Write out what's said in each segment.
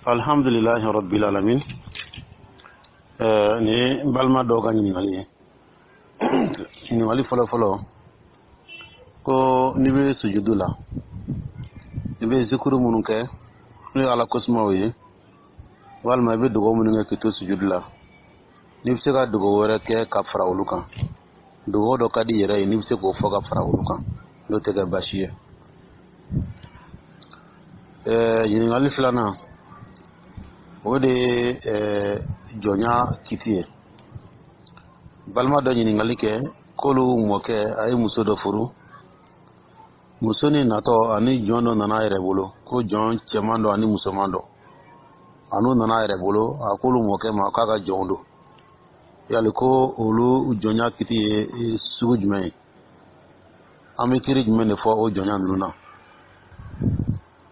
Alhamdulilahi rabbil alamin. Nin ye n balima dɔw ka ɲininkali ye. Ɲininkali fɔlɔ fɔlɔ ko n'i bɛ sujudu la, i bɛ zikuru minnu kɛ, n'o ye Ala kosumaw ye, walima i bɛ dugawu minnu kɛ k'i to sujudu la, n'i bɛ se ka dugawu wɛrɛ kɛ ka fara olu kan, dugawu dɔ ka di i yɛrɛ ye, n'i bɛ se k'o fɔ ka fara olu kan, n'o tɛ kɛ baasi ye. Ɲininkali filanan, o de ye jɔnya kiti ye. Balima dɔ ɲininkali kɛ k'olu mɔkɛ a ye muso dɔ furu. Muso ni natɔ ani jɔn dɔ nana a yɛrɛ bolo, ko jɔn cɛman dɔ ani musoman dɔ, a n'u nana a yɛrɛ bolo. A k'olu mɔkɛ ma k'a ka jɔnw don. Yali ko olu jɔnya kiti ye sugu jumɛn ye? An bɛ kiri jumɛn de fɔ o jɔnya ninnu na?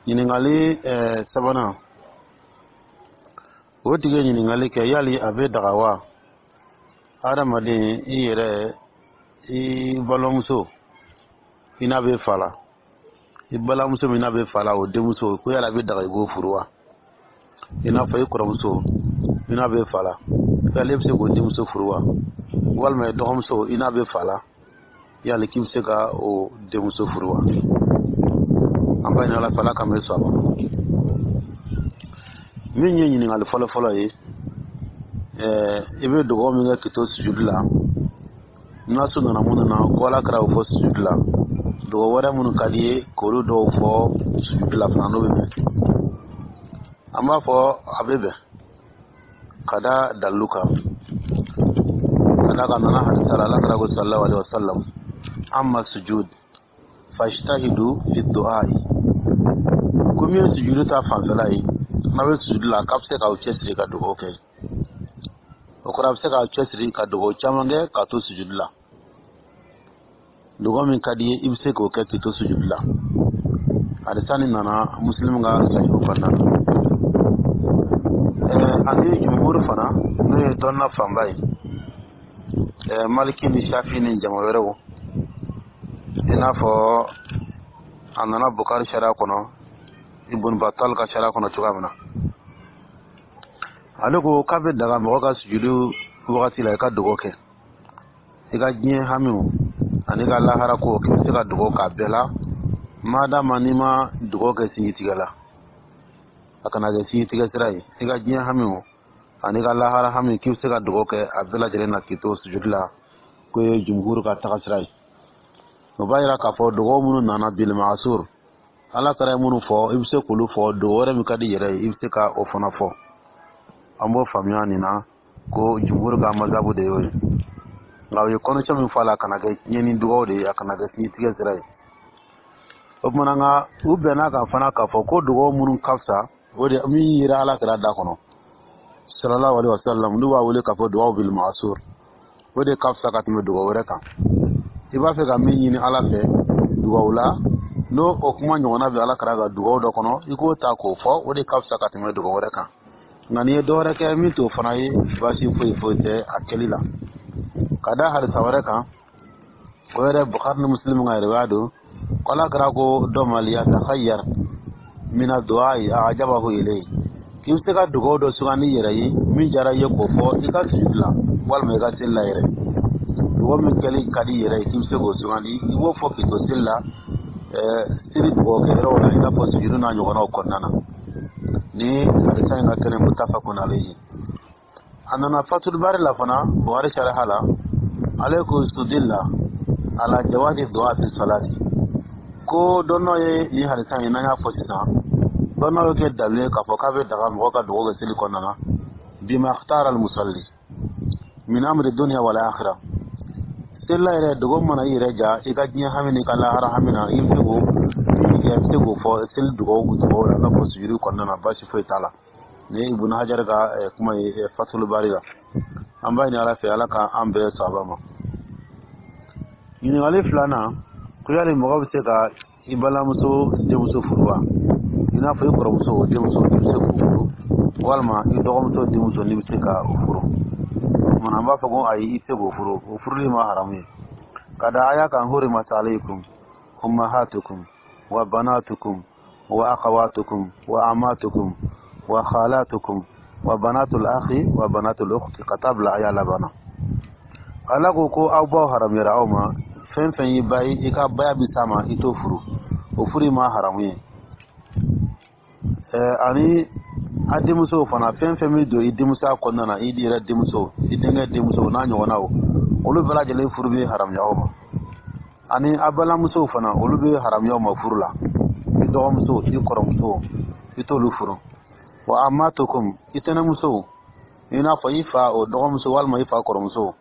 Ɲininkali sabanan, o tigi ye ɲininkali kɛ: yali a bɛ daga wa, hadamaden i yɛrɛ i balimamuso i n'a bɛ fa la, i balimamuso min n'a bɛ fa la, o denmuso, ko yala a bɛ daga i k'o furu wa? I n'a fɔ i kɔrɔmuso i n'a bɛ fa la, yali e bɛ se k'o denmuso furu wa? Walima i dɔgɔmuso i n'a bɛ fa la, yali k'i bɛ se ka o denmuso furu wa? An b'a ɲini Ala fɛ, Ala k'an bɛ sɔn a ma. Min ye ɲininkali fɔlɔ-fɔlɔ ye, i bɛ dugawu min kɛ k'i to sujudu la, nasu nana minnu na ko Ala kɛra o fɔ sujudu la, dugawu wɛrɛ minnu ka di ye k'olu dɔw fɔ sujudu la fana, n'o bɛ bɛn, an b'a fɔ a bɛ bɛn ka da dalilu kan. Ka da kan nana hadisa la, Ala kɛra ko sallallahu alaihi wasallam: amma sujud fajtahidu fi du'ai. Ko min ye sujudu ta fanfɛla ye, n'a bɛ sujudu la, k'a bɛ se k'aw cɛsiri ka dugawu kɛ. O kɔrɔ, a bɛ se k'aw cɛsiri ka dugawu caman kɛ k'a to sujudu la. Dugawu min ka di ye, i bɛ se k'o kɛ k'i to sujudu la. Hadisa nin nana Muslim ka sahihu kɔnɔna na. Ani jumhur fana, n'o ye dɔnna fanba ye, Maliki ni Shafi ni jama wɛrɛw, i n'a fɔ a nana Bukari sariya kɔnɔ, Ibn Batal ka sariya kɔnɔ cogoya min na, ale ko k'a bɛ daga mɔgɔ ka sujudu wagati la i ka dugawu kɛ, i ka diɲɛ hamiw ani ka lahara ko, k'i bɛ se ka dugawu k'a bɛɛ la, madama n'i ma dugawu kɛ sinjitigɛ la, a kana kɛ sinjitigɛ sira ye. I ka diɲɛ hamiw ani ka lahara hami, k'i bɛ se ka dugawu kɛ a bɛɛ lajɛlen na k'i to sujudu la, k'o ye jumhur ka taga sira ye. O b'a yira k'a fɔ dugawu minnu nana bil ma'asur, Ala kɛra ye minnu fɔ, i bɛ se k'olu fɔ. Dugawu wɛrɛ min ka di i yɛrɛ ye, i bɛ se ka o fana fɔ. An b'o faamuya nin na ko jumhur ka mazabu de y'o ye. Nka u ye condition min fɔ a la, a kana kɛ tiɲɛni dugawu de ye, a kana kɛ sinjitigɛ sira ye. O tuma nka u bɛnna kan fana k'a fɔ ko dugawu minnu ka fisa, o de min yera Ala kɛra da kɔnɔ sallallahu alaihi wasallam, n'u b'a wele k'a fɔ dugawu bil ma'asur, o de ka fisa ka tɛmɛ dugawu wɛrɛ kan. I b'a fɛ ka min ɲini Ala fɛ dugawu la, n'o o kuma ɲɔgɔnna bɛ Ala kɛra ka dugawu dɔ kɔnɔ, i k'o ta k'o fɔ, o de ka fisa ka tɛmɛ dugawu wɛrɛ kan. Nka n'i ye dɔ wɛrɛ kɛ min t'o fana ye, baasi foyi foyi tɛ a kɛli la. Ka da hadisa wɛrɛ kan, o yɛrɛ Bukhari ni Muslim ka riwaya don, ko Ala kɛra ko dɔ ma: liyatakhayyar mina du'ai a'jabahu ilayhi. K'i bɛ se ka dugawu dɔ sugandi i yɛrɛ ye, min diyara i ye, k'o fɔ i ka sujudu la walima i ka seli la yɛrɛ. Dugawu min kɛli ka di i yɛrɛ ye, k'i bɛ se k'o sugandi, i b'o fɔ k'i to seli la, seli dugawu kɛ yɔrɔw la, i n'a fɔ sujudu n'a ɲɔgɔnnaw kɔnɔna na. Ni hadisa in ka kɛnɛ, muttafaqun alayhi. A nana Fatul Bari la fana, Bukhari sariha la, ale ko istudilla ala jawazi du'a fi salati. Ko dɔnnɔ ye nin hadisa in n'an y'a fɔ sisan, dɔnnɔ y'o kɛ dalilu ye k'a fɔ k'a bɛ daga mɔgɔ ka dugawu kɛ seli kɔnɔna na, bima ikhtara al musalli min amri dunya wal akhirah. Selila yɛrɛ, dogo mana i yɛrɛ ja i ka diɲɛ hami n'i ka lahara hami na, i bɛ se k'o min kɛ, i bɛ se k'o fɔ seli dugawu la, i n'a fɔ sujudu kɔnɔna na, baasi foyi t'a la. Nin ye Ibn Hajar ka kuma ye Fatul Bari la. An b'a ɲini Ala fɛ, Ala ka an bɛɛ saba ma. Ɲininkali filanan, ko yali mɔgɔ bɛ se ka i balimamuso denmuso furu wa? I n'a fɔ i kɔrɔmuso denmuso, n'i bɛ se k'o furu, walima i dɔgɔmuso denmuso, n'i bɛ se ka o furu. O tuma an b'a fɔ ko ayi, i tɛ se k'o furu, o furuli ma haramu ye. Ka da aya kan: hurimat alaykum ummahatukum wa banatukum wa akhawatukum wa amatukum. Wa khalatukum wa banatul akhi wa banatul ukhti, ka taa bila aya laban na. Ala ko ko aw baw haramuyara aw ma. Fɛn fɛn y'i ba ye, i ka baya bɛ s'a ma, i t'o furu, o furu ma haramu ye. Ani a denmusow fana, fɛn fɛn bɛ don i denmusoya kɔnɔna na, i yɛrɛ denmuso, i denkɛ denmuso n'a ɲɔgɔnnaw, olu bɛɛ lajɛlen furu bɛ haramuya aw ma. Ani a balimamusow fana, olu bɛ haramuya aw ma furu la. I dɔgɔmuso, i kɔrɔmuso, i t'olu furu. Wa ammatukum, i tɛnɛmusow, i n'a fɔ i fa o dɔgɔmuso walima i fa kɔrɔmuso.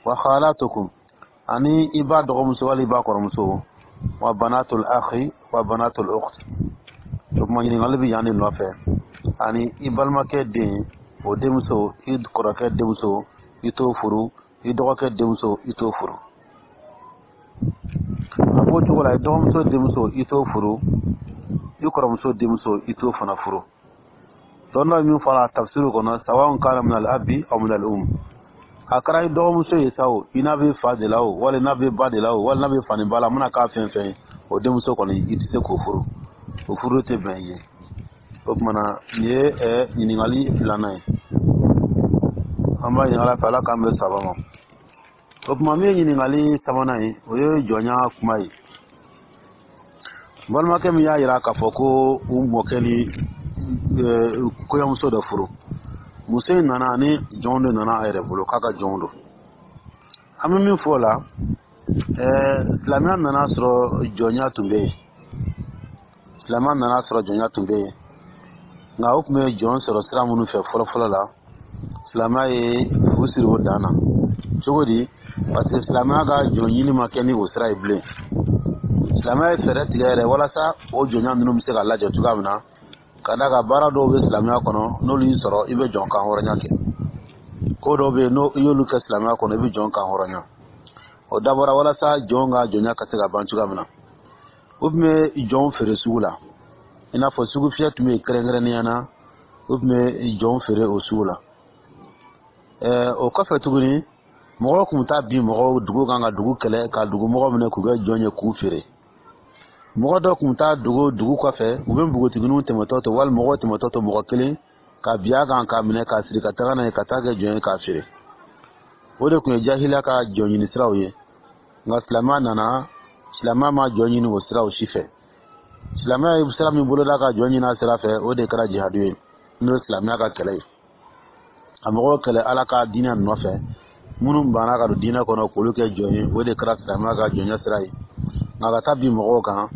Wa khalatukum, ani i ba dɔgɔmuso wali i ba kɔrɔmuso. Wa banatul akhi wa banatul ukhti. O kuma ɲininkali bɛ yan de nɔfɛ. Ani i balimakɛ den, o denmuso, i kɔrɔkɛ denmuso, i t'o furu. I dɔgɔkɛ denmuso, i t'o furu. A b'o cogo la, i dɔgɔmuso denmuso, i t'o furu. I kɔrɔmuso denmuso, i t'o fana furu. Dɔnni min fɔra tafsiri kɔnɔ, sawa'un kana min al abi aw min al um, a kɛra i dɔgɔmuso ye sa o, i n'a bɛ fa de la o, wali n'a bɛ ba de la o, wali n'a bɛ fa ni ba la, a mana k'a fɛn fɛn ye, o denmuso kɔni, i tɛ se k'o furu, o furu tɛ bɛn i ye. O tuma na, nin ye ɲininkali filanan ye. An b'a ɲini Ala fɛ, Ala k'an bɛn saba ma. O tuma, min ye ɲininkali sabanan ye, o ye jɔnya kuma ye. Balimakɛ min y'a yira k'a fɔ ko u mɔkɛ ni kɔɲɔmuso dɔ furu, muso in nana ni jɔn de nana a yɛrɛ bolo k'a ka jɔnw don. An bɛ min fɔ o la, silamɛya nana sɔrɔ jɔnya tun bɛ yen. Silamɛya nana sɔrɔ jɔnya tun bɛ yen, nka o tun bɛ jɔn sɔrɔ sira minnu fɛ fɔlɔ-fɔlɔ la, silamɛya ye fu siri o dan na. Cogo di? Parce que silamɛya ka jɔn ɲini ma kɛ ni o sira ye bilen. Silamɛya ye fɛɛrɛ tigɛ yɛrɛ walasa o jɔnya ninnu bɛ se ka lajɔ cogoya min na, ka d'a kan baara dɔw bɛ silamɛya kɔnɔ, n'olu y'i sɔrɔ, i bɛ jɔn kan hɔrɔnya kɛ. Ko dɔw bɛ yen, n'o i y'olu kɛ silamɛya kɔnɔ, i bɛ jɔn kan hɔrɔnya. O dabɔra walasa jɔn ka jɔnya ka se ka ban cogoya min na. U tun bɛ jɔnw feere sugu la, i n'a fɔ sugu fiyɛ tun bɛ yen kɛrɛnkɛrɛnnenya na, u tun bɛ jɔnw feere o sugu la. O kɔfɛ tuguni, mɔgɔw tun bɛ taa bin mɔgɔw dugu kan ka dugu kɛlɛ, ka dugu mɔgɔw minɛ k'u kɛ jɔn ye, k'u feere. Mɔgɔ dɔw tun bɛ taa dugu dugu kɔfɛ, u bɛ npogotigininw tɛmɛtɔ to, walima mɔgɔw tɛmɛtɔ to, mɔgɔ kelen ka bin a kan, k'a minɛ, k'a siri, ka taga n'a ye, ka taa kɛ jɔn ye, k'a feere. O de tun ye jahiliya ka jɔn ɲini siraw ye. Nka silamɛya nana, silamɛya ma jɔn ɲini o siraw si fɛ. Silamɛya ye sira min boloda ka jɔn ɲini a sira fɛ, o de kɛra jihadu ye, n'o ye silamɛya ka kɛlɛ ye, ka mɔgɔw kɛlɛ Ala ka diinɛ nɔfɛ. Minnu banna ka don diinɛ kɔnɔ, k'olu kɛ jɔn ye, o de kɛra silamɛya ka jɔnya sira ye. Nka ka taa bin mɔgɔw kan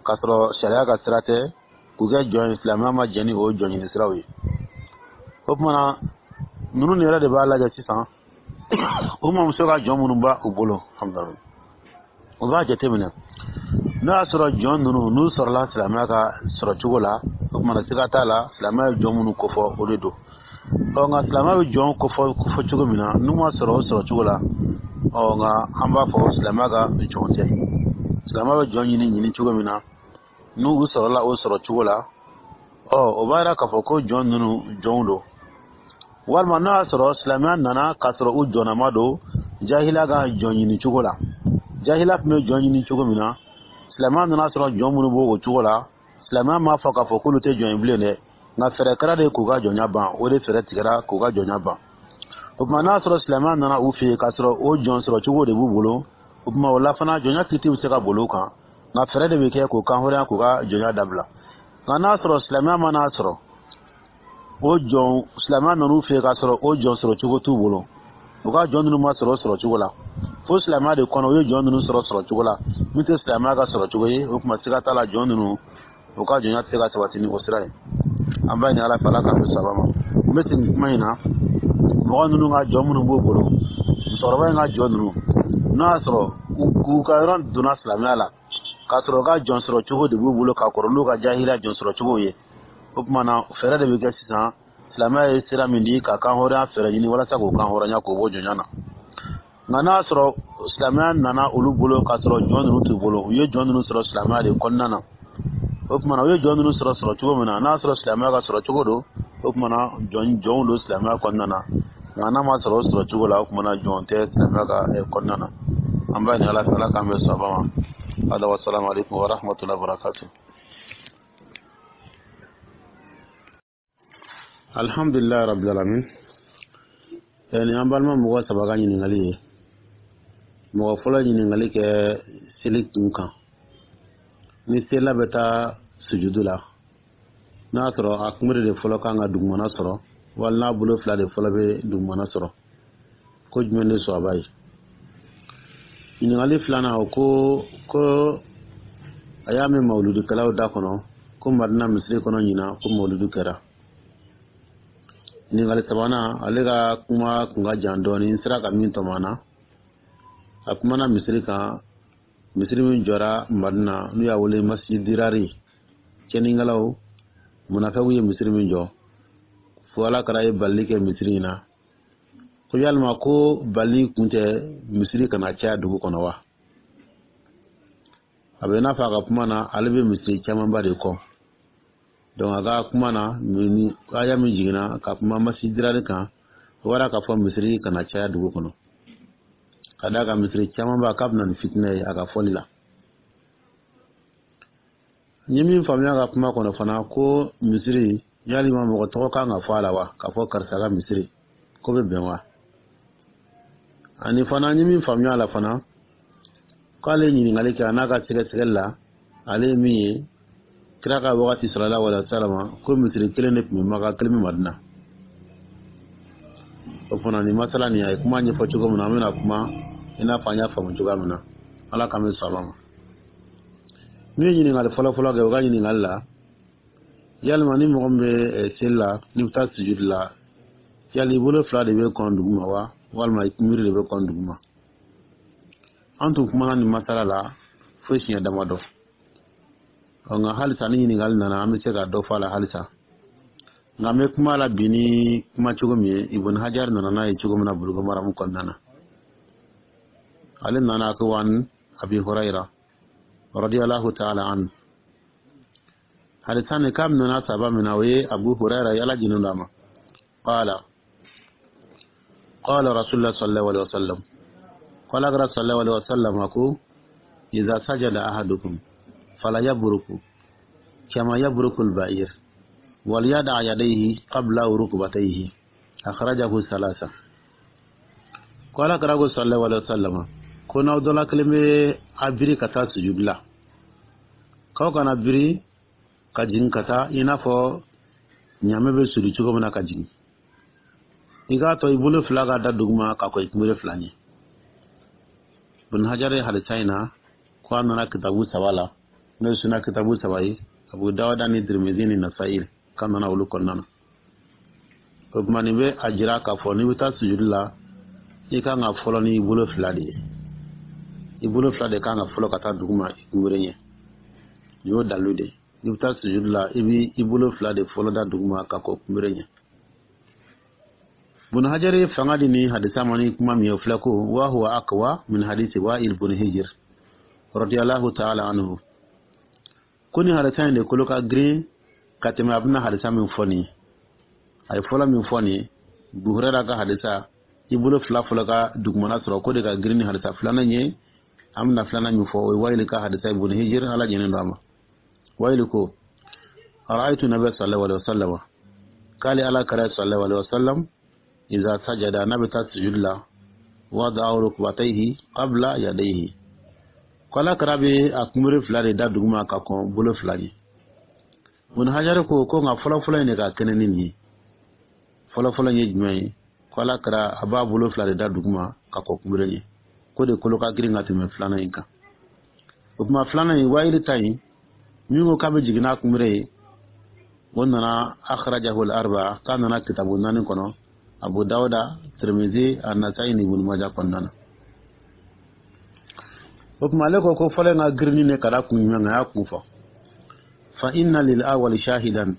k'a sɔrɔ sariya ka sira tɛ, k'u kɛ jɔn ye, silamɛya ma jɛn ni o jɔn ɲini siraw ye. O tuma na, ninnu yɛrɛ de b'a lajɛ sisan, u mamuso ka jɔn minnu b'a u bolo, u b'a jateminɛ n'o y'a sɔrɔ jɔn ninnu n'u sɔrɔla silamɛya ka sɔrɔ cogo la. O tuma na, siga t'a la, silamɛya ye jɔn minnu kofɔ, o de don. Ɔ nka silamɛya bɛ jɔn kofɔ cogo min na, n'u ma sɔrɔ o sɔrɔ cogo la, ɔ nka an b'a fɔ silamɛya ka jɔn tɛ. Silamɛya bɛ jɔn ɲini ɲini cogo min na, n'u sɔrɔla o sɔrɔ cogo la, ɔ o b'a yira k'a fɔ ko jɔn ninnu jɔnw don. Walima n'a y'a sɔrɔ silamɛya nana k'a sɔrɔ u jɔnnama don jahiliya ka jɔn ɲini cogo la, jahiliya tun bɛ jɔn ɲini cogo min na, silamɛya nana sɔrɔ jɔn minnu b'o cogo la, silamɛya m'a fɔ k'a fɔ k'olu tɛ jɔn ye bilen dɛ, nka fɛɛrɛ kɛra de k'u ka jɔnya ban. O de fɛɛrɛ tigɛra k'u ka jɔnya ban. O tuma, n'a sɔrɔ silamɛya nana u fɛ yen k'a sɔrɔ o jɔn sɔrɔ cogo de b'u bolo, o tuma o la fana, jɔnya kiti bɛ se ka boli u kan, nka fɛɛrɛ de bɛ kɛ k'o kan hɔrɔnya, k'u ka jɔnya dabila. Nka n'a sɔrɔ silamɛya mana sɔrɔ o jɔn, silamɛya nan'u fɛ yen k'a sɔrɔ o jɔn sɔrɔ cogo t'u bolo, u ka jɔn ninnu ma sɔrɔ o sɔrɔ cogo la, fo silamɛya de kɔnɔ u ye jɔn ninnu sɔrɔ sɔrɔ cogo la min tɛ silamɛya ka sɔrɔ cogo ye, o tuma siga t'a la, jɔn ninnu u ka jɔnya tɛ se ka sabati ni o sira ye. An b'a ɲini Ala fɛ, Ala k'an bɛ saba ma. N bɛ segin kuma in na, mɔgɔ ninnu ka jɔn minnu b'u bolo, musokɔrɔba in ka jɔn ninnu, n'o y'a sɔrɔ k'u ka yɔrɔ donna silamɛya la k'a sɔrɔ u ka jɔn sɔrɔ cogo de b'u bolo ka kɔrɔ n'u ka jahiliya jɔn sɔrɔ cogo ye, o tuma na fɛɛrɛ de bɛ kɛ sisan. Silamɛya ye sira min di ka kan hɔrɔnya fɛɛrɛ ɲini walasa k'u kan hɔrɔnya, k'o bɔ jɔnya na. Nka n'a y'a sɔrɔ silamɛya nana olu bolo k'a sɔrɔ jɔn ninnu t'u bolo, u ye jɔn ninnu sɔrɔ silamɛya de kɔnɔna na, o tuma na u ye jɔn ninnu sɔrɔ sɔrɔ cogo min na, n'a y'a sɔrɔ silamɛya ka sɔrɔ cogo don, o tuma na jɔn jɔnw don silamɛya kɔnɔna na. Nka n'a ma sɔrɔ o sɔrɔ cogo la, o tuma na jɔn tɛ silamɛya ka kɔnɔna na. An b'a ɲini Ala fɛ, Ala k'an bɛn sawaba ma. Hada wa salamu alaikum wa rahmatullahi wa barakatuh. Alhamdulilayi rabbil alamin. Nin an balima mɔgɔ saba ka ɲininkali ye. Mɔgɔ fɔlɔ ɲininkali kɛ seli kun kan, ni selila bɛ taa sujudu la, n'a y'a sɔrɔ a kunbere de fɔlɔ kan ka dugumana sɔrɔ, wali n'a bolo fila de fɔlɔ bɛ dugumana sɔrɔ, ko jumɛn de sɔrɔba ye? Ɲininkali filanan, o ko a y'a mɛn mawuludukɛlaw da kɔnɔ ko Madina misiri kɔnɔ ɲinan ko mawuludu kɛra. Ɲininkali sabanan, ale ka kuma kun ka jan dɔɔnin, n sera ka min tɔmɔ na. A kumana misiri kan, misiri min jɔra Madina, n'u y'a wele Masjid Dirari, cɛnnikɛlaw munafɛw ye misiri min jɔ, fo Ala kɛra ye balili kɛ misiri in na, ko yalima ko bali kun tɛ misiri kana caya dugu kɔnɔ wa? A bɛ n'a fɔ a ka kuma na, ale bɛ misiri camanba de kɔ. Donc a ka kuma na, ni aya min jiginna ka kuma Masjid Dirari kan, o wara k'a fɔ misiri kana caya dugu kɔnɔ, ka d'a kan misiri camanba k'a bɛna ni fitinɛ ye, a ka fɔli la. N ye min faamuya ka kuma kɔnɔ fana, ko misiri, yalima mɔgɔ tɔgɔ kan ka fɔ a la wa, k'a fɔ karisa ka misiri ko bɛ bɛn wa? Ani fana, n ye min faamuya a la fana, k'ale ye ɲininkali kɛ, a n'a ka sɛgɛsɛgɛli la, ale ye min ye, kira ka wagati sallallahu alaihi wa sallam, ko misiri kelen de tun bɛ Maka, kelen bɛ Madina. O fana, nin masala nin, a ye kuma ɲɛfɔ cogo min na, an bɛna kuma i n'a fɔ an y'a faamu cogoya min na. Ala k'an bɛ sɔn a ma. Min ye ɲininkali fɔlɔ-fɔlɔ kɛ, o ka ɲininkali la, yalima ni mɔgɔ min bɛ seli la, n'i bɛ taa sujudi la, yali i bolo fila de bɛ kɔn duguma wa, walima i kunbiri de bɛ kɔn duguma? An tun kumana nin masala la fo siɲɛ damadɔ. Nka halisa ni ɲininkali nana, an bɛ se ka dɔ fɔ a la halisa. Nka an bɛ kuma la bi ni kuma cogo min ye, Ibn Hajar nana n'a ye cogo min na Bulugu Maramu kɔnɔna na. Ale nana ko an Abi Hurayra radiyallahu ta'ala anhu, hadisa nin k'a nana saba min na, o ye Abu Hurayra ye, Ala jinin d'a ma. Qala qala Rasulullah sallallahu alaihi wasallam, qala sallallahu alaihi wasallam ko idza sajada ahadukum fala yabruku kama yabruku al-ba'ir wal yad'a yadayhi qabla rukbatayhi. Akhrajahu salasa. Ko Ala kira ko sallallahu alaihi wasallam ko n'aw dɔ la kelen bɛ a biri ka taa sujudi la, k'aw kana biri ka jigin ka taa i n'a fɔ ɲaamɛ bɛ suli cogo min na ka jigin. I k'a to i bolo fila ka da duguma ka kɔ i kunbere fila ɲɛ. Ibn Hajar ye hadisa in na ko a nana kitabu saba la, n'o ye suna kitabu saba ye, Abu Dawuda ni Tirmidhi ni Nasa'i, k'a nana olu kɔnɔna na. O tuma, nin bɛ a jira k'a fɔ n'i bɛ taa sujudi la, i kan ka fɔlɔ n'i bolo fila de ye. I bolo fila de kan ka fɔlɔ ka taa duguma i kunbere ɲɛ. Nin y'o dalilu de ye. N'i bɛ taa sujudi la, i b'i bolo fila de fɔlɔ da duguma ka kɔ kunbere ɲɛ. Ibn Hajar ye fanga di ni hadisa ma ni kuma min ye, o filɛ ko wa huwa aqwa min hadisi Wa'il bun Hijr radiyallahu ta'ala anhu, ko ni hadisa in de kolo ka girin ka tɛmɛ a bɛna hadisa min fɔ nin ye. A ye fɔlɔ min fɔ nin ye, Abu Hurayra ka hadisa, i bolo fila fɔlɔ ka dugumana sɔrɔ, ko de ka girin ni hadisa filanan ye. An bɛna filanan min fɔ, o ye Wa'il ka hadisa, Ibn Hijr, Ala jɛnen don a ma. Wa'il ko ra'aytu nabiy sallallahu alaihi wasallam, k'ale Ala kira sallallahu alaihi wasallam, iza sajada, n'a bɛ taa sujudi la, wada'a rukbatayhi qabla yadayhi, ko Ala kira bɛ a kunbere fila de da duguma ka kɔn bolo fila ɲɛ. Ibn Hajar ko nka fɔlɔfɔlɔ in de ka kɛnɛ ni nin ye. Fɔlɔfɔlɔ in ye jumɛn ye? Ko Ala kira a b'a bolo fila de da duguma ka kɔn kunbere ɲɛ, ko de kolo ka girin ka tɛmɛ filanan in kan. O tuma, filanan in, Wayili ta in min ko k'a bɛ jigin n'a kunbere ye, o nana akhrajahu al-arba'a, k'a nana kitabu naani kɔnɔ, Abu Dawuda, Tirmidhi, An-Nasa'i ni Ibn Majah kɔnɔna na. O tuma, ale ko fɔlɔ in ka girin ne ka da kun jumɛn kan? A y'a kun fɔ: fa inna lil awwali shahidan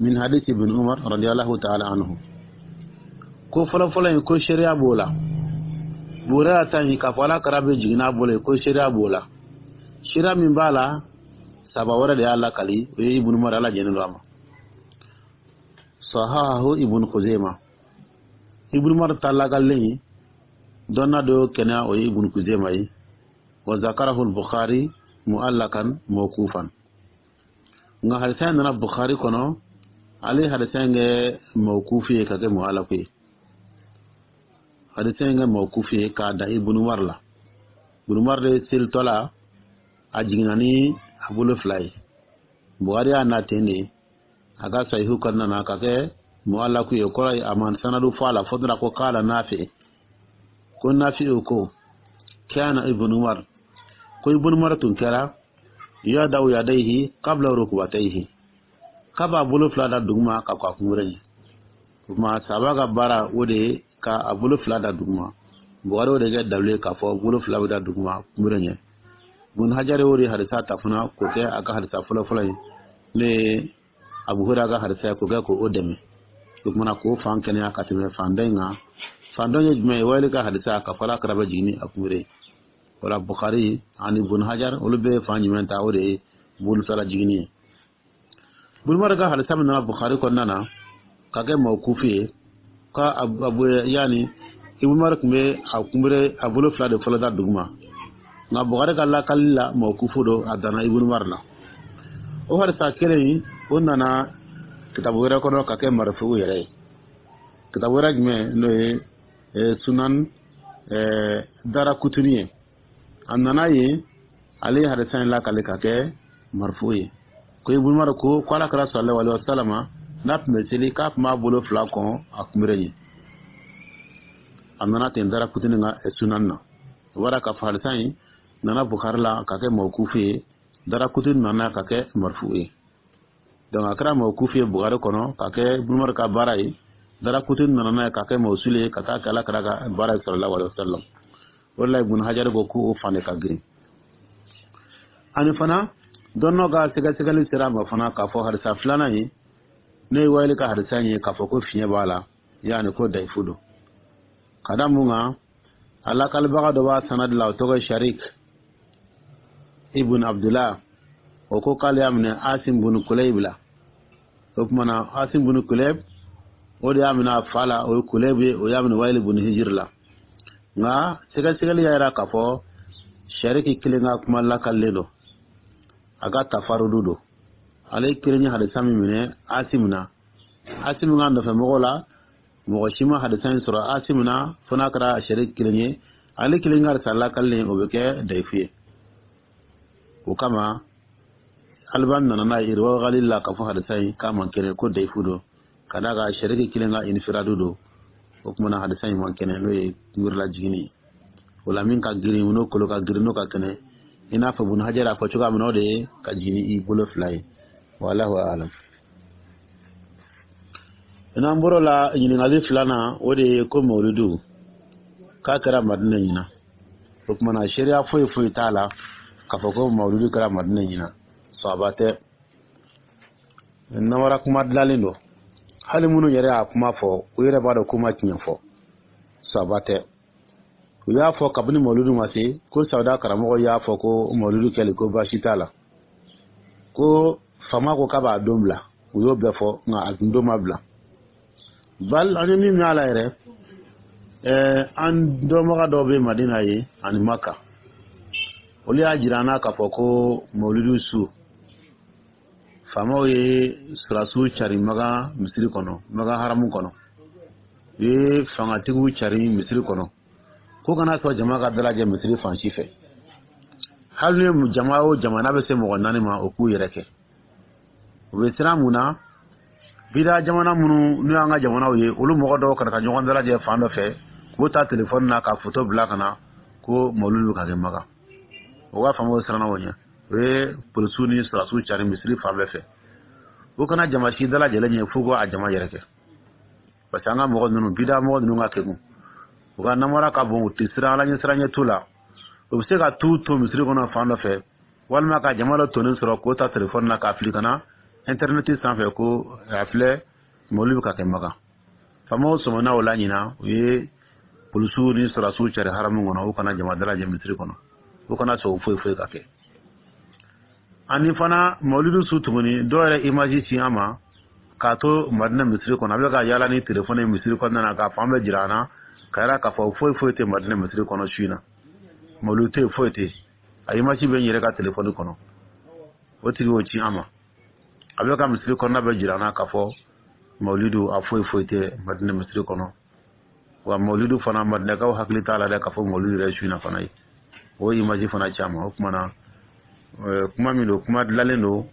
min hadith Ibn Umar radiyallahu ta'ala anhu. Ko fɔlɔ-fɔlɔ in, ko seereya b'o la. Buhurayra ta in, k'a fɔ Ala kira bɛ jigin n'a bolo ye, ko seereya b'o la. Seereya min b'a la, saba wɛrɛ de y'a lakali, o ye Ibn Umar, Ala jɛnen don a ma. Sahahahu Ibn Khuzaima. Ibn Umar ta lakalilen dɔnna dɔ kɛnɛya, o ye Ibn Khuzaima ye. Wa zakarahu al-Bukhari mu'allakan mawqufan. Nka hadisa in nana Bukhari kɔnɔ. Ale ye hadisa in kɛ mawkufu ye ka kɛ mualaku ye. Hadisa in kɛ mawkufu ye k'a da Ibn Umar la. Ibn Umar de selitɔ la, a jiginna ni a bolo fila ye. Buhari y'a na ten de a ka sahihu kɔnɔna na ka kɛ mualaku ye, kɔrɔ ye a ma sanadu fɔ a la, fo dɔrɔn ko kala Nafi, ko Nafi ko kana Ibn Umar, ko Ibn Umar tun kɛra yadau yadaihi qabla rukbatayhi, k'a b'a bolo fila da duguma ka kɔ a kunbere ɲɛ. O tuma saba ka baara, o de ye ka a bolo fila da duguma. Buhari o de kɛ dalu ye k'a fɔ bolo fila bɛ da duguma kunbere ɲɛ. Bun Hajar o de hadisa ta fana k'o kɛ a ka hadisa fɔlɔ-fɔlɔ ye, n'o ye Abu Hurairah ka hadisa ye, k'o kɛ k'o dɛmɛ. O kumana k'o fan kɛnɛya ka tɛmɛ fan dɔ in kan. Fan dɔ ye jumɛn ye? Wali ka hadisa ka fɔ ala kɛra bɛ jigin ni a kunbere ye. Wala Bukhari ani Bun Hajar, olu bɛ fan jumɛn ta? O de ye bolo fila jiginni ye. Ibn Umar ka hadisa min nana Bukhari kɔnɔna na ka kɛ mawkufu ye, ka abu yani Ibn Umar tun bɛ a kunbere, a bolo fila de fɔlɔ da duguma, nka Bukhari ka lakali la, mawkufu don, a danna Ibn Umar la. O hadisa kelen in, o nana kitabu wɛrɛ kɔnɔ ka kɛ marifu yɛrɛ ye. Kitabu wɛrɛ jumɛn? N'o ye Sunan Darakutuni ye. A nana yen, ale ye hadisa in lakale ka kɛ marifu ye, ko Ibn Umar ko ala kɛra sallallahu alaihi wasallam, n'a tun bɛ seli, k'a tun b'a bolo fila kɔn a kunbere ɲɛ. A nana ten Darakutuni ka sunan na. O bɔra k'a fɔ hadisa in nana Bukhari la ka kɛ mawkufu ye, Darakutuni nana ka kɛ marifu ye. Donc a kɛra mawkufu ye Bukhari kɔnɔ ka kɛ Ibn Umar ka baara ye, Darakutuni nana n'a ye ka kɛ mawsuli ye ka taa kɛ ala kɛra ka baara ye sallallahu alaihi wasallam. O de la Ibn Hajar ko k'o fan de ka girin. Ani fana dɔnnɔ ka sɛgɛsɛgɛli sera a ma fana k'a fɔ hadisa filanan ye, n'o ye Wayili ka hadisa ye, k'a fɔ ko fiɲɛ b'a la, yaani ko dayifu don. Ka da mun kan? A lakalibaga dɔ b'a sanadi la, o tɔgɔ ye Sharik ibn Abdullah. O ko k'ale y'a minɛ Asim bun Kulayb la. O tuma na Asim bun Kulayb, o de y'a minɛ a fa la, o ye Kulayb ye, o y'a minɛ Wayili bun Hijir la. Nka sɛgɛsɛgɛli y'a yira k'a fɔ Shariki kelen ka kuma lakalilen don, a ka tafarudu don. Ale kelen ye hadisa min minɛ Asim na, Asim ka nɔfɛ mɔgɔw la, mɔgɔ si ma hadisa in sɔrɔ Asim na fo n'a kɛra Shariki kelen ye. Ale kelen ka hadisa lakalilen, o bɛ kɛ dayifu ye. O kama Albani nana n'a ye Irwa Galil la k'a fɔ hadisa in k'a man kɛnɛ, ko dayifu don, ka d'a kan Shariki kelen ka infiradu don. O tuma na hadisa in man kɛnɛ, n'o ye kunbirila jiginni ye. O la min ka girin, n'o kolo ka girin, n'o ka kɛnɛ, i n'a fɔ Ibn Hajar y'a fɔ cogoya min na, o de ye ka jigin i bolo fila ye. Wallahu alam. N'an bɔr'o la, ɲininkali filanan, o de ye ko mawuludu k'a kɛra Madina ɲina. O tuma na seereya foyi foyi t'a la k'a fɔ ko mawuludu kɛra Madina ɲina. Sɔaba tɛ, namara kuma dilanlen don. Hali minnu yɛrɛ y'a kuma fɔ, u yɛrɛ b'a dɔn k'u ma tiɲɛ fɔ. Sɔaba tɛ. U y'a fɔ kabini mawuludu ma se, ko Sawuda karamɔgɔ y'a fɔ ko mawuludu kɛli, ko baasi t'a la, ko faama ko k'a b'a don bila. U y'o bɛɛ fɔ, nka a tun don ma bila. Bal an ye min mɛn a la yɛrɛ, an dɔnbaga dɔw bɛ Madina ye ani Maka, olu y'a jira an na k'a fɔ ko mawuludu su, faamaw ye sɔrɔdasiw cari Makan misiri kɔnɔ, Makan haramu kɔnɔ. U ye fangatigiw cari misiri kɔnɔ ko kana sɔn jama ka dalajɛ misiri fan si fɛ. Hali ni jama o jama n'a bɛ se mɔgɔ 4 ma, o k'u yɛrɛ kɛ. U bɛ siran mun na? Bida jamana minnu n'u y'an ka jamanaw ye, olu mɔgɔ dɔw kana taa ɲɔgɔn dalajɛ fan dɔ fɛ, k'u ta telefɔni na ka foto bila ka na ko mawuludu bɛ ka kɛ Makan. O ka faamaw siranna o ɲɛ, o ye polisiw ni sɔrɔdasiw cari misiri fan bɛɛ fɛ, u kana jama si dalajɛlen ɲɛ f'u ko a jama yɛrɛ kɛ. Parce que an ka mɔgɔ ninnu, bida mɔgɔ ninnu ka kegun, u ka namara ka bon, u tɛ siran ala ɲɛ siran ɲɛ t'u la. U bɛ se ka t'u to misiri kɔnɔ fan dɔ fɛ, walima ka jama dɔ tonnen sɔrɔ k'o ta telefɔni na k'a fili ka na intɛrɛnɛti sanfɛ ko a filɛ, mawuludu bɛ ka kɛ Makan. Faamaw sɔmina o la ɲina, u ye polisiw ni sɔrɔdasiw cari haramu kɔnɔ, u kana jama dalajɛ misiri kɔnɔ, u kana sɔn foyi foyi ka kɛ. Ani fana mawuludu su tuguni, dɔw yɛrɛ image ci an ma k'a to Madina misiri kɔnɔ, a bɛ ka yaala ni telefɔni ye misiri kɔnɔna na k'a fan bɛɛ jira an na, ka yira k'a fɔ foyi foyi tɛ Madina misiri kɔnɔ su in na, mawuludu tɛ yen, foyi tɛ yen. A image bɛ n yɛrɛ ka telefɔni kɔnɔ, o tigi y'o ci an ma. A bɛ ka misiri kɔnɔna bɛɛ jira an na k'a fɔ Mawulidu a foyi foyi tɛ Madina misiri kɔnɔ. Wa mawulidu fana, Madinakaw hakili t'a la dɛ k'a fɔ mawulidu yɛrɛ su in na fana ye o image fana caman. O tuma na, kuma min don, kuma dilanlen don,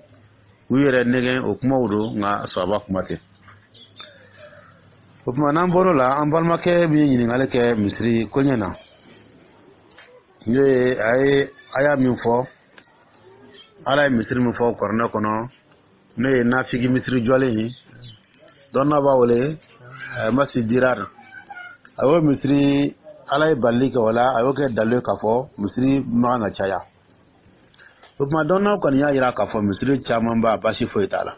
u yɛrɛ nɛgɛn o kumaw don, nka sɔrɔba kuma tɛ. O tuma, n'an bɔr'o la, an balimakɛ min ye ɲininkali kɛ misiri koɲɛ na, n'o ye a ye aya min fɔ, Ala ye misiri min fɔ Kuranɛ kɔnɔ, n'o ye nafigi misiri jɔlen ye, dɔnna b'a wele masjid dirar, a y'o misiri, Ala ye balili kɛ o la, a y'o kɛ dalilu ye k'a fɔ misiri man kan ka caya. O tuma, dɔnnaw kɔni y'a jira k'a fɔ misiri caman ba, baasi foyi t'a la.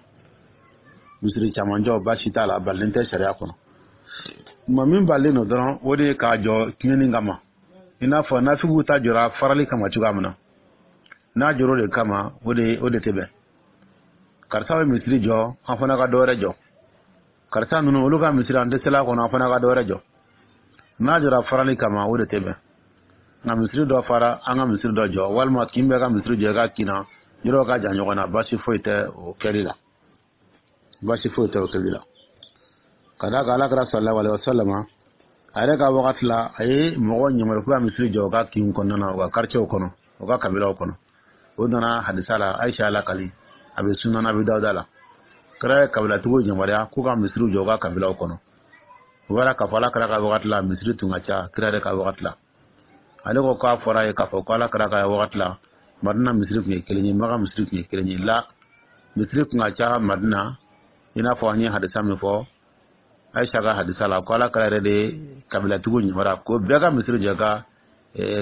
Misiri caman jɔ, baasi t'a la, balilen tɛ sariya kɔnɔ. Tuma min balilen don dɔrɔn, o de ye k'a jɔ tiɲɛni kama, i n'a fɔ nafigiw ta jɔra farali kama cogoya min na. N'a jɔr'o de kama, o de tɛ bɛn. Karisa bɛ misiri jɔ, an fana ka dɔ wɛrɛ jɔ. Karisa ninnu, olu ka misiri, an tɛ seli a kɔnɔ, an fana ka dɔ wɛrɛ jɔ. N'a jɔra farali kama, o de tɛ bɛn. Nka misiri dɔ fara, an ka misiri dɔ jɔ, walima kin bɛɛ ka misiri jɔ i ka kin na, yɔrɔ ka jan ɲɔgɔn na, baasi foyi tɛ o kɛli la, baasi foyi tɛ o kɛli la. Ka d'a kan, Ala kɛra sallallahu alaihi wasallam, a yɛrɛ ka wagati la, a ye mɔgɔ ɲamaru k'u ka misiri jɔ u ka kinw kɔnɔna na, u ka quartier kɔnɔ, u ka kabilaw kɔnɔ. O nana hadisa la, Ayisa lakali, a bɛ Sunan Abi Dawuda la. Kira ye kabilatigiw yamaruya k'u ka misiriw jɔ u ka kabilaw kɔnɔ. O b'a k'a fɔ Ala kɛra ka wagati la, misiri tun ka ca. Kira yɛrɛ ka wagati la, ale ko k'a fɔra ye k'a fɔ ko Ala kɛra ka wagati la, Madina misiri tun ye kelen ye, Maka misiri tun ye kelen ye. La, misiri tun ka ca Madina, i n'a fɔ an ye hadisa min fɔ, Ayisa ka hadisa la, ko Ala kɛra yɛrɛ de kabilatigiw yamaruya ko bɛɛ ka misiri jɔ ka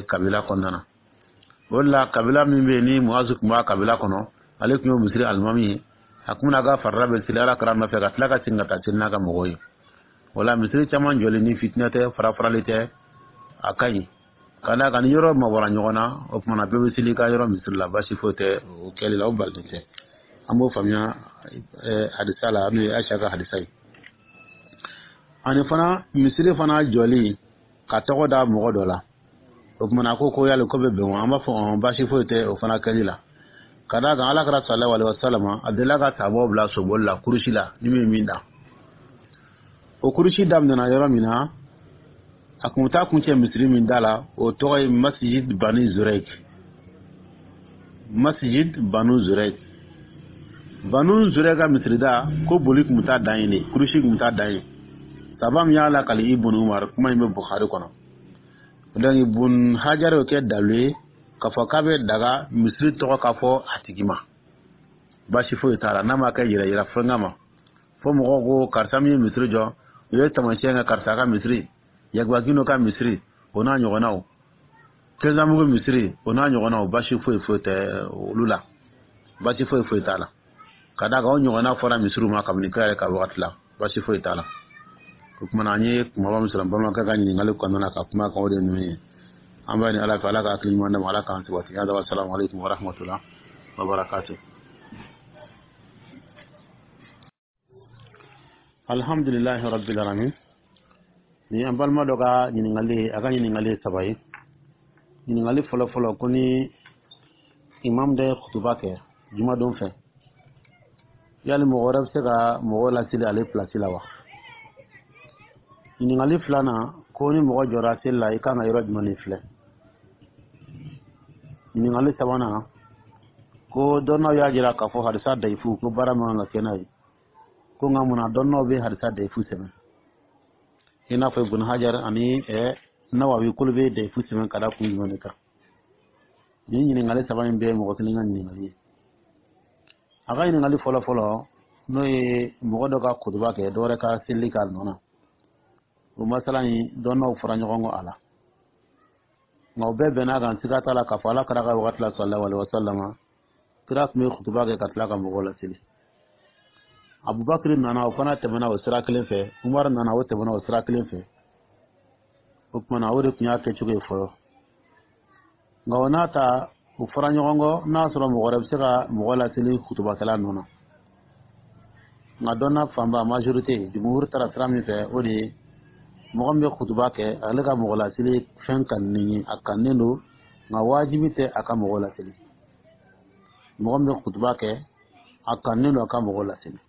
kabila kɔnɔna na. O de la, kabila min bɛ yen ni Muazu tun b'a kabila kɔnɔ, ale tun ye misiri alimami ye. A kun bɛna ka farida bɛ seli Ala kɛra nɔfɛ, ka tila ka segin ka taa seli n'a ka mɔgɔw ye. O la, misiri caman jɔli, ni fitinɛ tɛ, fara farali tɛ, a ka ɲi. Ka d'a kan, ni yɔrɔ mabɔra ɲɔgɔn na, o tuma na bɛɛ bɛ seli i ka yɔrɔ misiri la, baasi foyi tɛ o kɛli la, o balilen tɛ. An b'o faamuya hadisa la, n'o ye Ayisa ka hadisa ye. Ani fana, misiri fana jɔli ka tɔgɔ da mɔgɔ dɔ la, o tuma na ko yali ko bɛ bɛn wa? An b'a fɔ ɔn, baasi foyi tɛ o fana kɛli la. Ka d'a kan, Ala kɛra sallallahu alaihi wasallam, a delila ka sabaw bila soboli la, kurusi la, ni min ye min da. O kurusi daminɛna yɔrɔ min na, a kun taa kuncɛ misiri min da la, o tɔgɔ ye Masjid Bani Zurek. Masjid Banu Zurek, Banu Zurek ka misirida, ko boli kun bɛ taa dan yen de, kurusi kun bɛ taa dan yen. Saba min y'a lakali Ibn Umar, kuma in bɛ Bukhari kɔnɔ. Donc Ibn Hajar y'o kɛ dalu ye k'a fɔ k'a bɛ daga misiri tɔgɔ k'a fɔ a tigi ma, baasi foyi t'a la, n'a ma kɛ yɛrɛ yira fɛn kama, fo mɔgɔw ko karisa min ye misiri jɔ, u ye taamasiyɛn kɛ, karisa ka misiri, Yagubakino ka misiri, o n'a ɲɔgɔnnaw, Kɛnzanbugu misiri, o n'a ɲɔgɔnnaw, baasi foyi foyi tɛ olu la, baasi foyi foyi t'a la. Ka d'a kan, o ɲɔgɔnna fɔra misiriw ma kabini kira yɛrɛ ka wagati la, baasi foyi t'a la. O kumana, an ye kumaba min sɔrɔ balimakɛ ka ɲininkali kɔnɔna na ka kuma kan, o de ye ninnu ye. An b'a ɲini Ala fɛ, Ala ka hakili ɲuman d'a ma, Ala k'an sabati. Hada, wa salamu aleykum wa rahmatullah wa barakatuh. Alhamdulilahi rabbil alamin. Ni an balima dɔ ka ɲininkali, a ka ɲininkali ye saba ye. Ɲininkali fɔlɔ fɔlɔ, ko ni imam dɔ ye kutuba kɛ jumadon fɛ, yali mɔgɔ wɛrɛ bɛ se ka mɔgɔw laseli ale pilasi la wa? Ɲininkali filanan, ko ni mɔgɔ jɔra seli la, i kan ka yɔrɔ jumɛn de filɛ? Ɲininkali sabanan, ko dɔnnaw y'a jira k'a fɔ hadisa dayifu, ko baara man kan ka kɛ n'a ye. Ko nka munna dɔnnaw bɛ hadisa dayifu sɛbɛn, i n'a fɔ Ibn Hajar ani Nawawi, k'olu bɛ dayifu sɛbɛn ka da kun jumɛn de kan? Nin ɲininkali saba in bɛɛ ye mɔgɔ kelen ka ɲininkali ye. A ka ɲininkali fɔlɔ fɔlɔ, n'o ye mɔgɔ dɔ ka kutuba kɛ, dɔ wɛrɛ ka seli k'a nɔ na, o masala in, dɔnnaw fɔra ɲɔgɔn kɔ a la. Nka o bɛɛ bɛn'a kan, siga t'a la k'a fɔ Ala kɛra ka wagati la, sallallahu alaihi wasallam, kira tun bɛ kutuba kɛ ka tila ka mɔgɔw laseli. Abubakar nana, o fana tɛmɛna o sira kelen fɛ. Umar nana, o tɛmɛna o sira kelen fɛ. O tuma na, o de tun y'a kɛcogo ye fɔlɔ. Nka o n'a ta, u fɔra ɲɔgɔn kɔ n'a sɔrɔ mɔgɔ wɛrɛ bɛ se ka mɔgɔ laseli kutubakɛla nɔ na. Nka dɔnna fanba, majorité, jumhur taara sira min fɛ, o de ye mɔgɔ min bɛ kutuba kɛ, ale ka mɔgɔ laseli fɛn kanunen ye, a kanunen don, nka wajibi tɛ a ka mɔgɔ laseli. Mɔgɔ min bɛ kutuba kɛ, a kanunen don a ka mɔgɔ laseli.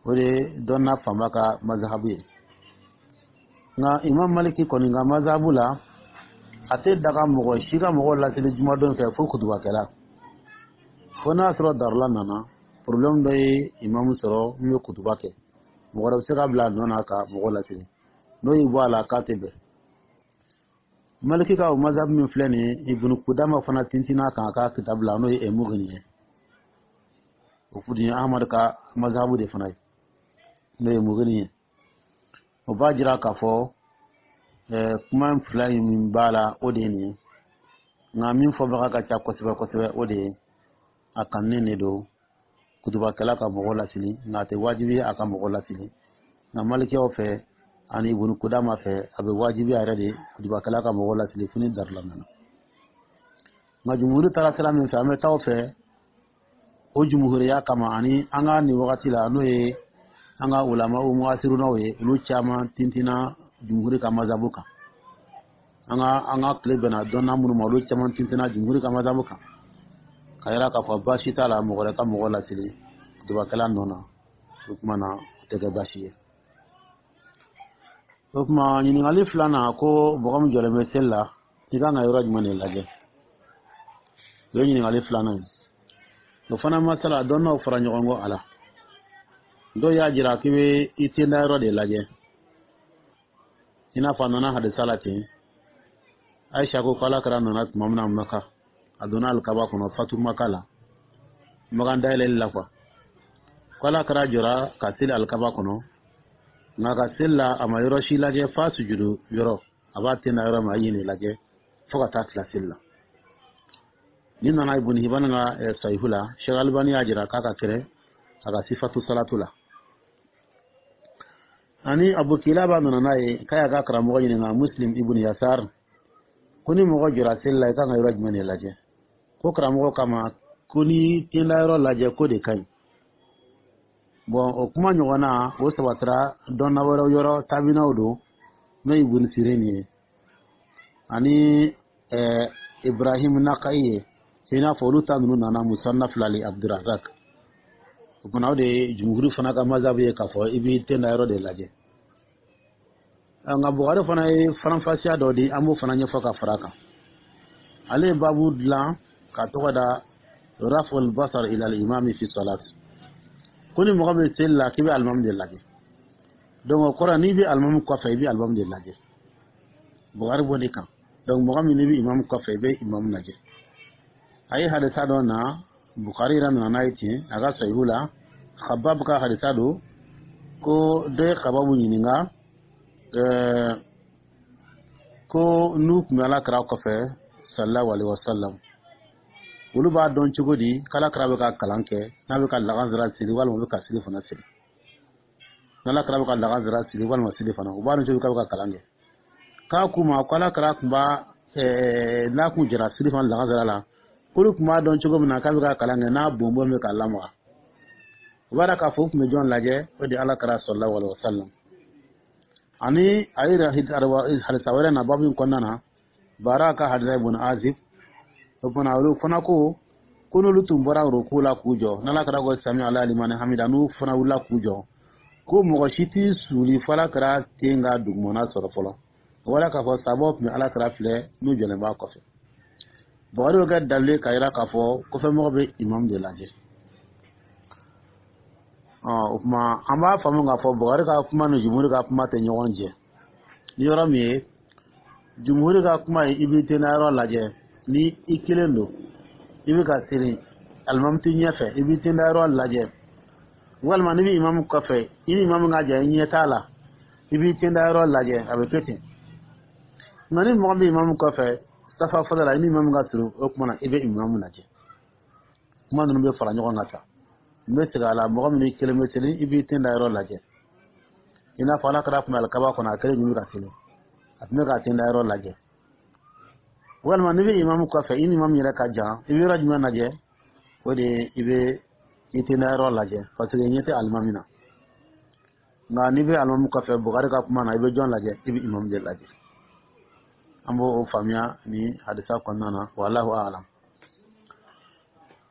O de ye dɔnna fanba ka mazahabu ye. Nka Imam Maliki kɔni ka mazahabu la, a tɛ daga mɔgɔ si ka mɔgɔ laseli jumadon fɛ fo kutubakɛla, fo n'a sɔrɔ darula nana, problème dɔ ye imamu sɔrɔ min bɛ kutuba kɛ, mɔgɔ wɛrɛ bɛ se ka bila a nɔ na ka mɔgɔ laseli. N'o y'i bɔ a la, k'a tɛ bɛn. Maliki ka o mazahabu min filɛ nin ye, Ibunu Kudama fana tintin'a kan a ka kitabu la, n'o ye Mugini ye. O fudi ye Ahmad ka mazahabu de fana ye, n'o ye Mugini ye. O b'a jira k'a fɔ kuma fila in min b'a la, o de ye nin ye. Nka min fɔbaga ka ca kosɛbɛ kosɛbɛ, o de ye a kanunen de don kutubakɛla ka mɔgɔ lasili, nka a tɛ wajibi a ka mɔgɔ lasili. Nka malikiyaw fɛ ani Ibunu Kudama fɛ, a bɛ wajibi a yɛrɛ de kutubakɛla ka mɔgɔ lasili fo ni darila nana. Nka jumhuri taara sira min fɛ, an bɛ taa o fɛ o jumhuriya kama. Ani an ka nin wagati la, n'o ye an ka ulama muhasirunaw ye, olu caman tintinna jumhuri ka mazabu kan. An ka tile bɛnna dɔnna minnu ma, olu caman tintinna jumhuri ka mazabu kan ka yira k'a fɔ baasi t'a la mɔgɔ wɛrɛ ka mɔgɔ lasili kutubakɛla nɔ na. O tuma na, o tɛ kɛ baasi ye. O tuma, ɲininkali filanan ko mɔgɔ min jɔlen bɛ seli la, i kan ka yɔrɔ jumɛn de lajɛ? O ye ɲininkali filanan ye. O fana masala, dɔnnaw fara ɲɔgɔn kɔ a la. Dɔw y'a jira k'i bɛ i tenda yɔrɔ de lajɛ, i n'a fɔ a nana hadisa la ten. Ayisa ko k'Ala kira nana tuma min na Maka, a donna alikaba kɔnɔ fatu Maka la, Makan dayɛlɛli la kuwa, ko Ala kira jɔra ka seli alikaba kɔnɔ, nka ka seli la, a ma yɔrɔ si lajɛ f'a sujudu yɔrɔ, a b'a tenda yɔrɔ min, a ye nin lajɛ fo ka taa tila seli la. Ni nana Ibn Hibban ka Sahihu la, Sheikh Albani y'a jira k'a ka kɛrɛ a ka Sifatu Salatu la. Ani Abu Kilaba nana n'a ye k'a y'a ka karamɔgɔ ɲininka, Muslim ibn Yasar, ko ni mɔgɔ jɔra seli la, i kan ka yɔrɔ jumɛn de lajɛ? Ko karamɔgɔ kama ko ni tenda yɔrɔ lajɛ, ko de ka ɲi. Bɔn, o kuma ɲɔgɔnna, o sabatira dɔnna wɛrɛw yɔrɔ, tabinaw don, n'o ye Ibn Sirin ye ani Ibrahim Nakayi ye, i n'a fɔ olu ta ninnu nana Musannaf la li Abdurazak. O fana, o de ye jumhuri fana ka mazabu ye, k'a fɔ i b'i tenda yɔrɔ de lajɛ. Nka Bukari fana ye faranfasiya dɔ di, an b'o fana ɲɛfɔ ka fara kan. Ale ye babu dilan ka tɔgɔ da raful basar ila al-imami fi salat, ko ni mɔgɔ bɛ seli la, k'i bɛ alimami de lajɛ. Donc o kɔrɔ, n'i bɛ alimami kɔfɛ, i bɛ alimami de lajɛ. Bukari b'o de kan. Donc mɔgɔ min n'i bɛ imamu kɔfɛ, i bɛ imamu lajɛ. A ye hadisa dɔ na, Bukari yɛrɛ nana n'a ye ten a ka Sahihu la, Khabab ka hadisa don, ko dɔ ye Khababu ɲininka ko n'u tun bɛ Ala kira kɔfɛ sallallahu alaihi wasallam, olu b'a dɔn cogo di k'Ala kira bɛ ka kalan kɛ, n'a bɛ ka lagansara seli walima bɛ ka seli fana seli? N'Ala kira bɛ ka lagansara seli walima seli fana, u b'a dɔn cogo k'a bɛ ka kalan kɛ? K'a k'u ma ko Ala kira tun b'a n'a kun jɛra seli fana lagansara la, k'olu tun b'a dɔn cogo min na k'a bɛ ka kalan kɛ, n'a bonbon bɛ ka lamaga. O b'a k'a fɔ u tun bɛ jɔn lajɛ? O de ye Ala kira sallallahu alaihi wasallam. Ani a ye hadisa wɛrɛ na babu in kɔnɔna na, Bara ka hadisa, ibn Azib. O fana, olu fana ko n'olu tun bɔra ruku la k'u jɔ, n'Ala kɛra ko sami ala limani hamida, n'u fana wulila k'u jɔ, ko mɔgɔ si t'i suli fo Ala kɛra ten ka dugumana sɔrɔ fɔlɔ. O wala k'a fɔ sabaw tun bɛ Ala kɛra filɛ n'u jɔlen b'a kɔfɛ. Bukari y'o kɛ dalilu k'a yira k'a fɔ kɔfɛmɔgɔ bɛ imam de lajɛ. O tuma, an b'a faamu k'a fɔ Bukari ka kuma ni jumhuri ka kuma tɛ ɲɔgɔn jɛ ni yɔrɔ min ye. Jumhuri ka kuma ye i b'i tenda yɔrɔ lajɛ ni i kelen don, i bɛ ka seli, alimami t'i ɲɛfɛ, i b'i tenda yɔrɔ lajɛ. Walima n'i bɛ imamu kɔfɛ, i ni imamu ka jan, i ɲɛ t'a la, i b'i tenda yɔrɔ lajɛ, a bɛ kɛ ten. Nka ni mɔgɔ bɛ imamu kɔfɛ safa fɔlɔ la, i ni imamu ka surun, o tuma na i bɛ imamu lajɛ. Kuma ninnu bɛ fara ɲɔgɔn kan sa. N bɛ segin a la: mɔgɔ min kelen bɛ seli, i b'i ten da yɔrɔ lajɛ, i n'a fɔ Ala kɛra tun bɛ alikaba kɔnɔ, a kelen tun bɛ ka seli, a tun bɛ k'a ten da yɔrɔ lajɛ. Walima n'i bɛ imamu kɔfɛ, i ni imamu yɛrɛ ka jan, i bɛ yɔrɔ jumɛn lajɛ? O de ye i bɛ i ten da yɔrɔ lajɛ, parce que ɲɛ tɛ alimami na. Nka n'i bɛ alimami kɔfɛ, Bukari ka kuma na, i bɛ jɔn lajɛ? I bɛ imamu de lajɛ. An b'o faamuya ni hadisa kɔnɔna na, wallahu a'lam.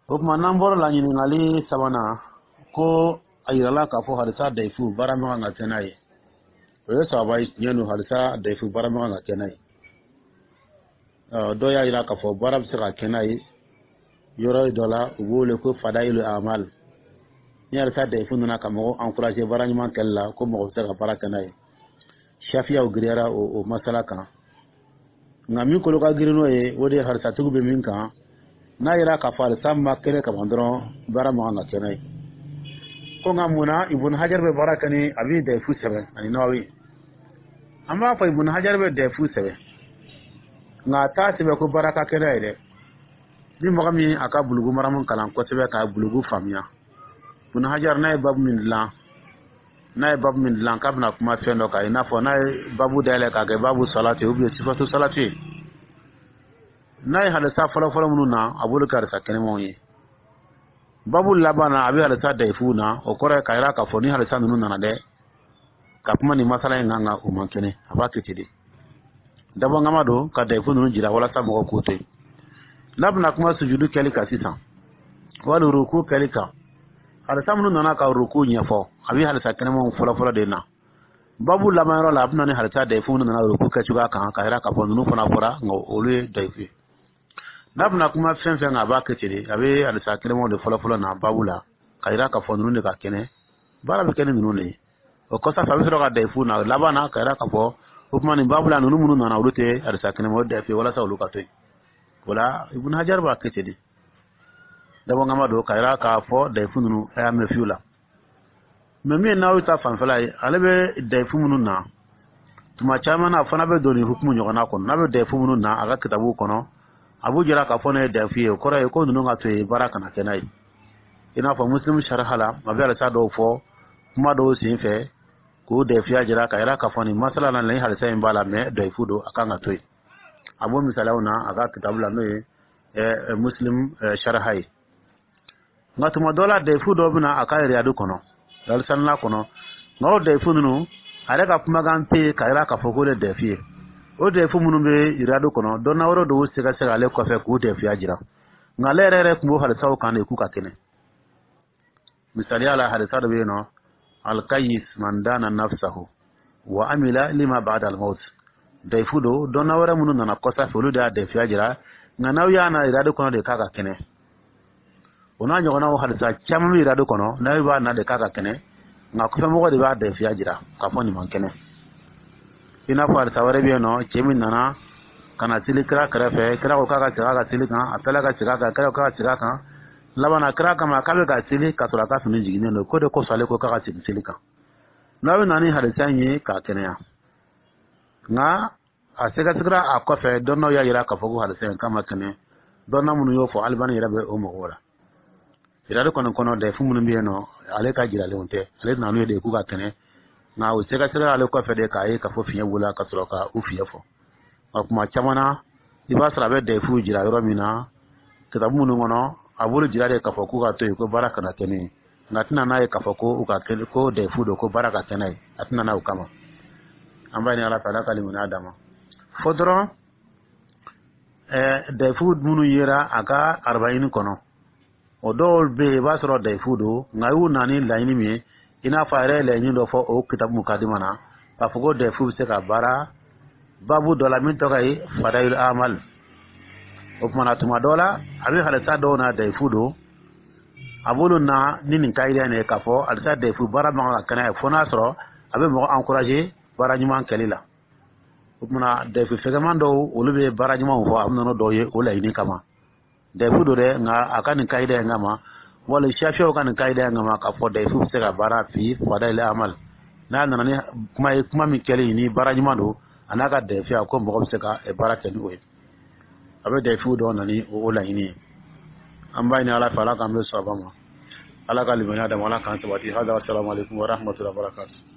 O tuma, n'an bɔra la, ɲininkali sabanan ko A yirala k'a fɔ hadisa dayifu, baara man kan ka kɛ n'a ye. O ye saba ye. Tiɲɛ don, hadisa dayifu, baara man kan ka kɛ n'a ye. Dɔw y'a yira k'a fɔ baara bɛ se ka kɛ n'a ye yɔrɔ dɔ la, u b'o wele ko fadayilu amal. Ni hadisa dayifu nana ka mɔgɔ encourager baara ɲuman kɛli la, ko mɔgɔ bɛ se ka baara kɛ n'a ye. Shafiyaw giriyara o masala kan. Nka min kolo ka girin n'o ye, o de ye hadisatigiw bɛ min kan, n'a yira k'a fɔ hadisa ma kɛnɛ kaban dɔrɔn, baara man kan ka kɛ n'a ye. Ko nka mun na Ibn Hajar bɛ baara kɛ ni a bɛ dayifu sɛbɛn ani Nawawi? An b'a fɔ Ibn Hajar bɛ dayifu sɛbɛn, nka a t'a sɛbɛn ko baara ka kɛ n'a ye dɛ. Ni mɔgɔ min a ka Bulugu Maramu kalan kosɛbɛ k'a bulugu faamuya, Ibn Hajar n'a ye babu min dilan, n'a ye babu min dilan k'a bɛna kuma fɛn dɔ kan, i n'a fɔ n'a ye babu dayɛlɛ k'a kɛ babu salati ou bien sifatu salati, n'a ye hadisa fɔlɔfɔlɔ minnu na, a b'olu kɛ hadisa kɛnɛmanw ye. Babu laban na, a bɛ hadisa dayifu na. O kɔrɔ ye k'a yira k'a fɔ ni hadisa ninnu nana dɛ ka kuma nin masala in kan, nka o man kɛnɛ. A b'a kɛ ten de, dabɔnkama don ka dayifu ninnu jira walasa mɔgɔw k'o to yen. N'a bɛna kuma sujudu kɛli kan sisan, wali ruku kɛli kan, hadisa minnu nana ka ruku ɲɛfɔ, a bɛ hadisa kɛnɛmanw fɔlɔfɔlɔ de na. Babu laban yɔrɔ la, a bɛ na ni hadisa dayifu minnu nana ruku kɛcogoya kan, ka yira k'a fɔ ninnu fana fɔra, nka olu ye dayifu ye. N'a bɛna kuma fɛn fɛn kan, a b'a kɛ ten de. A bɛ hadisa kɛnɛmanw de fɔlɔfɔlɔ na babu la, ka yira k'a fɔ ninnu de ka kɛnɛ, baara bɛ kɛ ni ninnu de ye. O kɔfɛ, a bɛ sɔrɔ ka dayifu na laban na, ka yira k'a fɔ o tuma nin babu la, ninnu minnu nana, olu tɛ hadisa kɛnɛma, o dayifu ye, walasa olu ka to yen. O la, Ibn Hajar b'a kɛ ten de, dabɔnkama don ka yira k'a fɔ dayifu ninnu, a y'a mɛn fiyewu la. Mɛ min ye Nawawi ta fanfɛla ye, ale bɛ dayifu minnu na tuma caman na, a fana bɛ don nin hukumu ɲɔgɔnna kɔnɔ. N'a bɛ dayifu minnu na a ka kitabu kɔnɔ, a b'u jira k'a fɔ ne ye dayifu ye. O kɔrɔ ye ko ninnu ka to yen, baara kana kɛ n'a ye. I n'a fɔ Muslim sariha la, a bɛ hadisa dɔw fɔ kuma dɔw sen fɛ k'o dayifuya jira, ka yira k'a fɔ nin masala la, nin hadisa in b'a la, mɛ dayifu don, a kan ka to yen. A b'o misaliyaw na a ka kitabu la, n'o ye Muslim sariha ye. Nka tuma dɔ la, dayifu dɔw bɛ na a ka Riyadu kɔnɔ, Riyadu kɔnɔ. Nka o dayifu ninnu, a yɛrɛ ka kumakan tɛ yen ka yira k'a fɔ k'o de dayifu ye. O dayifu minnu bɛ Riyadu kɔnɔ, dɔnna wɛrɛ dɔw sɛgɛsɛgɛ ale kɔfɛ k'u dayifuya jira, nka ale yɛrɛ yɛrɛ tun b'o hadisaw kan de k'u ka kɛnɛ. Misaliya la, hadisa dɔ bɛ yen nɔ, alkayis man dana nafsahu wa amila lima ba'da al-maut, dayifu don. Dɔnna wɛrɛ minnu nana kɔsa fɛ, olu de y'a dayifuya jira, nka n'aw y'a na Riyadu kɔnɔ de k'a ka kɛnɛ. O n'a ɲɔgɔnnaw hadisa caman bɛ Riyadu kɔnɔ, n'aw b'a na de k'a ka kɛnɛ, nka kɔfɛmɔgɔ de b'a dayifuya jira k'a fɔ nin man kɛnɛ. I n'a fɔ hadisa wɛrɛ bɛ yen nɔ, cɛ min nana ka na seli kira kɛrɛfɛ, kira ko k'a ka segin a ka seli kan. A tilala ka segin a kan, kira ko k'a ka segin a kan. Laban na, kira kama k'a bɛ ka seli k'a sɔrɔ a ka fini jiginnen don, k'o de kosɔn ale ko k'a ka segin seli kan. N'a bɛ na ni hadisa in ye k'a kɛnɛya, nka a sɛgɛsɛgɛra a kɔfɛ, dɔnnaw y'a jira k'a fɔ ko hadisa in k'a ma kɛnɛ. Dɔnna minnu y'o fɔ, Alibani yɛrɛ bɛ o mɔgɔw la. Riyadu kɔni kɔnɔ, dayifu minnu bɛ yen nɔ, ale ka jiralenw tɛ. Ale nana n'u ye de k'u ka kɛnɛ, nka o sɛgɛsɛgɛra ale kɔfɛ de k'a ye k'a fɔ fiɲɛ wula ka sɔrɔ ka u fiɲɛ fɔ. Nka kuma caman na, i b'a sɔrɔ a bɛ dayifu jira yɔrɔ min na, kitabu minnu kɔnɔ, a b'olu jira de k'a fɔ k'u ka to yen, ko baara kana kɛ ne ye. Nka a tɛna n'a ye k'a fɔ ko u ka kɛ ko dayifu don, ko baara ka kɛ n'a ye. A tɛna n'a o kama. An b'a ɲini Ala fɛ, Ala ka limaniya d'a ma. Fɔ dɔrɔn, dayifu minnu yera a ka Arbaɲini kɔnɔ, o dɔw bɛ yen, i b'a sɔrɔ dayifu don, nka y'u na ni laɲini min ye, i n'a fɔ a yɛrɛ ye laɲini dɔ fɔ o kitabu mukadima na, k'a fɔ ko dayifu bɛ se ka baara babu dɔ la min tɔgɔ ye fadayil amal. O tuma na, tuma dɔ la, a bɛ hadisa dɔw na dayifu don, a b'olu na ni nin kayida in ye, k'a fɔ hadisa dayifu, baara man kan ka kɛ n'a ye, fo n'a sɔrɔ a bɛ mɔgɔ encourager baara ɲuman kɛli la. O tuma na, dayifu fɛgɛman dɔw, olu bɛ baara ɲumanw fɔ, a bɛ na n'o dɔw ye o laɲini kama. Dayifu don dɛ, nka a ka nin kayida in kama, wali safiyaw ka nin kayida in kama, k'a fɔ dayifu bɛ se ka baara fi fadayil amal, n'a nana ni kuma ye, kuma min kɛli ni baara ɲuman don, a n'a ka dayifuya, ko mɔgɔ bɛ se ka baara kɛ ni o ye, a bɛ dayifu dɔw na ni o laɲini ye. An b'a ɲini Ala fɛ, Ala k'an bɛ sɔn ma, Ala ka limaniya d'a ma, Ala k'an sabati. Hada, assalamu alaikum wa rahmatullahi wa barakatuh.